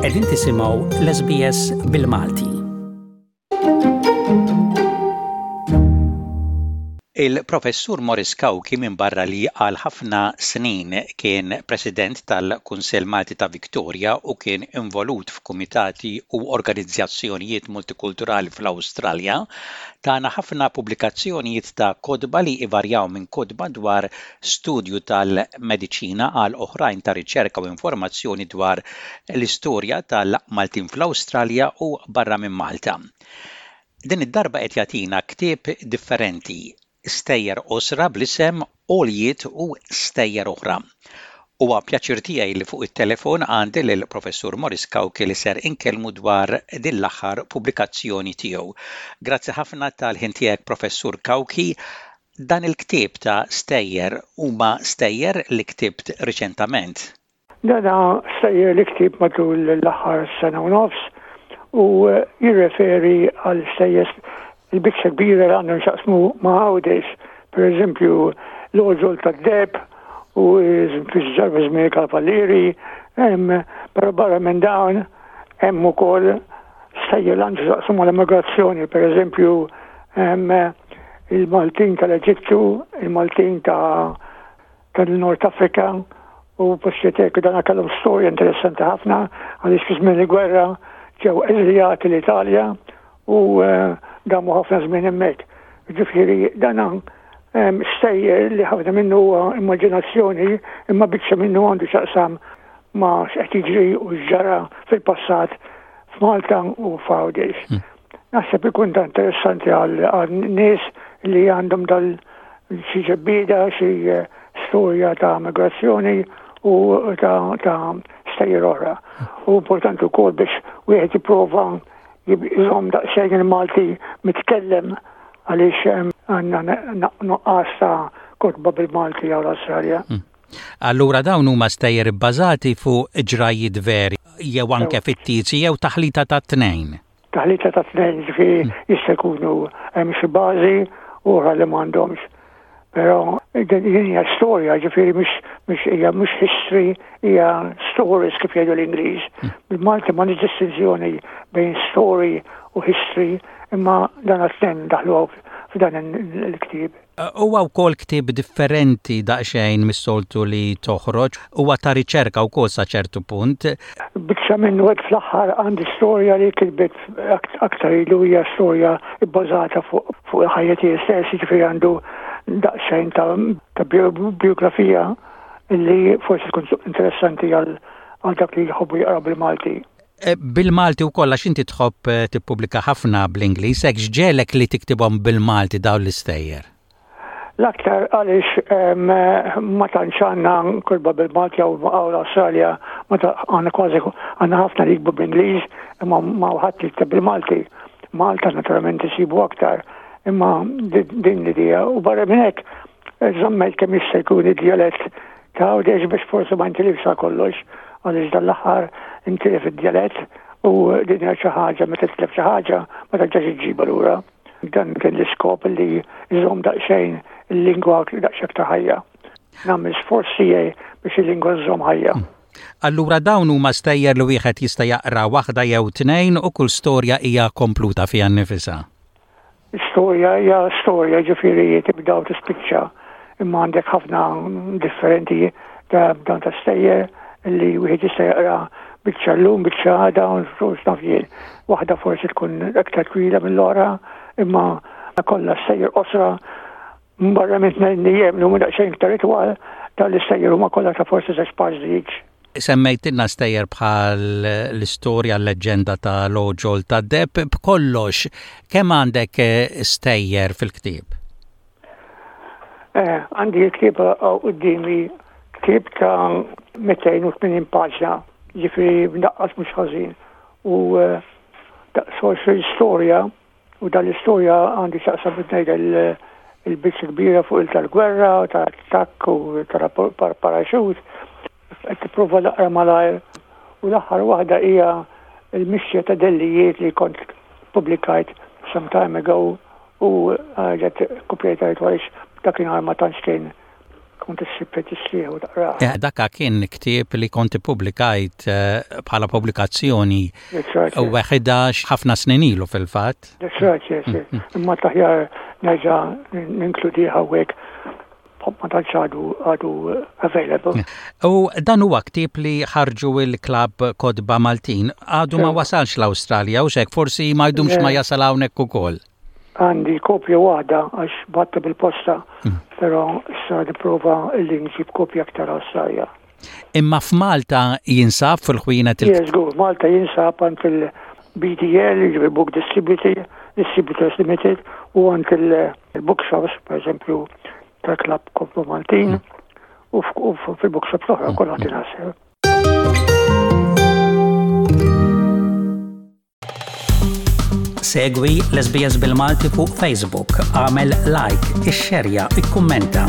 Qegħdin tisimgħu l-SBS bil-Malti. Il-Professur Maurice Cauchi minbarra li għal ħafna snin kien President tal-Kunsill Malti ta' Victoria u kien involut f'kumitati u organizzazzjonijiet multikulturali fl-Awstralja, tana ħafna pubblikazzjonijiet ta' kotba li ivarjaw minn kotba dwar studju tal-mediċina għal oħrajn ta' riċerka u informazzjoni dwar l-istorja tal-Maltin fl-Awstralja u barra minn Malta. Din id-darba qed jagħtina ktieb differenti, stejjer qosra bl-isem Għoljiet u Stejjer Oħra. Huwa pjaċir tiegħi li fuq it-telefon għandi lil Professur Maurice Cauchi li ser inkellmu dwar din l-aħħar pubblikazzjoni tiegħu. Grazzi ħafna tal-ħin tiegħek Professur Cauchi. Dan il-ktieb ta' stejjer huma stejjer li ktibt riċentament? Dan stejjer li ktibt matul l-aħħar sena u nofs u jirreferi għal stejjer il-biċċa kbira li għandhom x'jaqsmu ma' Għawdex, per eżempju l-għoġol tad-deheb u fi żmien il-Kavallieri, però barra minn dawn hemm ukoll stejjer li għandhom x'jaqsmu mal-immigrazzjoni, per eżempju il-Maltin tal-Eġittu, il-Maltin ta' tal-Nord Afrika u postijiet hekk dan kellhom storja interessanti ħafna għaliex fi żmien il-gwerra ġew eżiljati l-Italja u eh, damu ħafna żmien hemmhekk. Ġifieri dan ehm, stejjer li ħafna minnu huwa immaġinazzjoni imma biċċa minnu għandu x'aqsam ma' x'qed jiġri u x'ġara fil-passat f'Malta u f'Għawdex. Hmm. Naħseb ikun ta' interessanti għal nies li għandhom dal xi ġebbieda, xi eh, storja ta' migrazzjoni u ta', ta stejjer oħra. U importanti wkoll biex wieħed jipprova jżomm daqsxejn il-Malti mitkellem għaliex eh, għandna nuqqas ta' kotba bil-Malti għal Awstralja. Hmm. Allura dawn huma stejjer ibbażati fuq ġrajjiet veri jew anke fittizji jew taħlita tat-tnejn? Taħlita tat-tnejn, ġifieri hmm. jista' jkunu hemm xi bażi u oħra li m'għandhomx. Però din hija storja, ġifieri mhux hija mhux history, hija stories kif jgħidu l-Ingliż. Hmm. Bil-Malti ma distinzjoni bejn story u history, imma dan għat-tnejn daħlu f'dan il-ktieb. Huwa wkoll ktieb differenti daqsxejn mis-soltu li toħroġ. Huwa ta' riċerka wkoll sa ċertu punt. Biċċa minnu hekk fl-aħħar għandi storja li kitbet aktar ilu hija storja bbażata fuq il-ħajja tiegħi stess, jiġifieri għandu daqsxejn ta' bijografija li forsi tkun interessanti għal dak li jħobbu jaqraw bil-Malti. Eh, bil-Malti wkoll għax inti tħobb eh, tippubblika ħafna bl-Ingliż, hekk x'ġegħlek li tiktibhom bil-Malti dawn l-istejjer? L-aktar għaliex ma tantx għandna kurba bil-Malti jew l-Awstralja ma għandna kważi għandna ħafna li jiktbu bl-Ingliż imma ma ħadd jikteb bil-Malti. Malta naturalment isibu aktar imma din l-idea u barra minn hekk żammejt kemm jista' jkun id-djalett ta' Għawdex biex forsi ma jintilifx għal kollox għaliex dan l-aħħar intilef id-djalett u din hija xi ħaġa meta titlef xi ħaġa ma terġax iġġibha lura. Dan kien l-iskop li jżomm daqsxejn il-lingwa daqsxejn aktar ħajja. Nagħmel sforz tiegħi biex il-lingwa żżomm ħajja. Allura dawn huma stejjer li wieħed jista' jaqra waħda jew tnejn u kull storja hija kompluta fiha nnifisha. Storja hija storja, ġifieri tibda u tispiċċa, imma għandek ħafna differenti ta' dan ta' stejjer li wieħed jista' jaqra biċċa llum, biċċa għada, u x'naf jien. Waħda forsi tkun aktar twila mill-oħra, imma kollha stejjer qosra Barra minn tnejn ijiem li huma daqsxejn iktar itwal, dawn l-istejjer huma kollha ta' forsi żewġ paġni each. Semmejtilna stejjer bħal l-istorja l-leġġenda ta' l-għoġol tad-deheb. B'kollox, kemm għandek stejjer fil-ktieb? Eh, għandi l-ktieb quddiemi, ktieb ta' 280 paġna, ġifieri mdaqqas mhux ħażin. U eh, daqs 20 storja U dan l-istorja għandi x'jaqsam biex ngħid il-biċċa kbira fuq il tal-gwerra, tal-attakk u tal-paraxut. Qed tipprova naqra malajr. U l-aħħar waħda hija l-mixja ta' dellijiet li kont pubblikajt some time ago u ġet kopjajt għaliex dakinhar ma tantx kien. Kont issib fejn tixtrih u taqrah. Eh, daka kien ktieb li kont ippubblikajt eh, bħala pubblikazzjoni u weħida ħafna snin ilu fil-fatt. That's right, yes, yes. Mm, mm. Imma taħjar nerġa' ninkludih hawnhekk ma tantx għadu għadu available. U dan huwa ktieb li ħarġu il-klabb Kotba Maltin għadu ma wasalx l-Awstralja u xek forsi ma jdumx ma jasal hawnhekk ukoll. Għandi kopja waħda għax batta bil-posta, mm. però issa nipprova li nġib kopja aktar Awstralja. Imma f'Malta jinsab fil-ħwienet il- Yes, żgur, Malta jinsab għand il-BDL, jiġifieri Book Distributor, Distributors Limited, u għand il-bookshops, per eżempju, tal-Klabb Kotba Maltin, u fil-bookshops l-oħra kollha tingħasel. Segwi l-SBS bil-Malti fuq Facebook, għamel like, ixxerja, ikkummenta.